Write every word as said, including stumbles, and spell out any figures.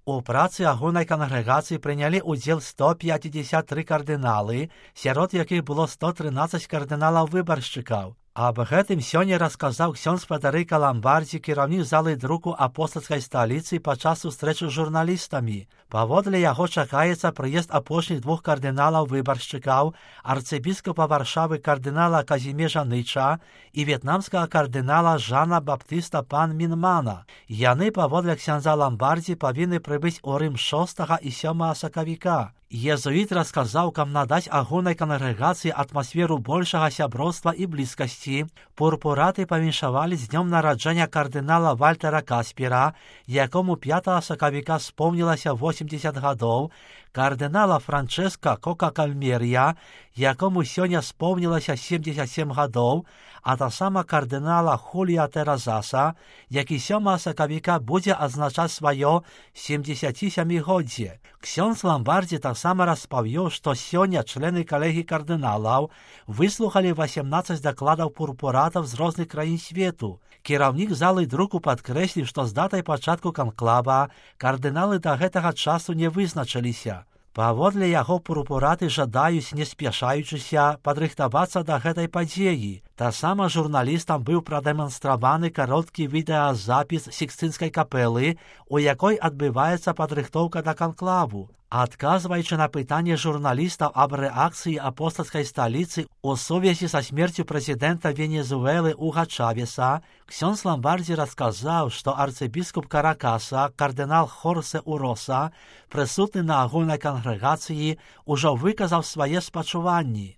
У працы агульнай кангрэгацыі прынялі ўдзел сто пятьдесят три кардыналы, сярод якіх было сто трынаццаць кардыналаў-выбаршчыкаў. Аб гэтым сёння расказаў ксёндз Федэрыка Ламбардзі, кіраўнік залы друку апостальскай сталіцы, падчас сустрэчы з журналістамі. Паводле яго чакаецца прыезд апошніх двух кардыналаў-выбаршчыкаў, арцыбіскапа Варшавы кардынала Казімежа Ныча і в'етнамскага кардынала Жана Баптыста пан Мінмана. Яны, паводле ксяндза Ламбардзі, павінны прыбыць у Рым шостага і сёмага сакавіка. Езуіт расказаў, каб надаць агульнай кангрэгацыі атмасферу большага сяброўства і блізкасці. Пурпураты павіншавалі з днём нараджэння кардынала Вальтера Каспера, якому пятага сакавіка спомнілася восемьдесят гадоў, кардынала Франчэска Кока-Кальмерія, якому сёння спомнілася семьдесят семь гадоў, а таксама кардынала Хулія Тэразаса, які сёмага сакавіка будзе адзначаць сваё семьдесятсямігоддзе. Ксёндз Ламбардзі таксама распавёў, што сёння члены калегіі кардыналаў выслухалі восемнадцаць дакладаў пурпуратаў з розных краін свету. Кіраўнік залы друку падкрэсліў, што з датай пачатку канклава кардыналы да гэтага часу не вызначыліся. Паводле яго пурпураты жадаюць, не спяшаючыся, падрыхтавацца да гэтай падзеі. Таксама журналістам быў прадэманстраваны кароткі відэазапіс Сікстынскай капэлы, у якой адбываецца падрыхтоўка да канклаву. Адказваючы на пытанне журналістаў аб рэакцыі апостальскай сталіцы у сувязі са смерцю прэзідэнта Венесуэлы Уга Чавеса, ксёндз Ламбардзі расказаў, што арцыбіскуп Каракаса, кардынал Хорсе Уроса, прысутны на агульнай кангрэгацыі, ужо выказаў свае спачуванні.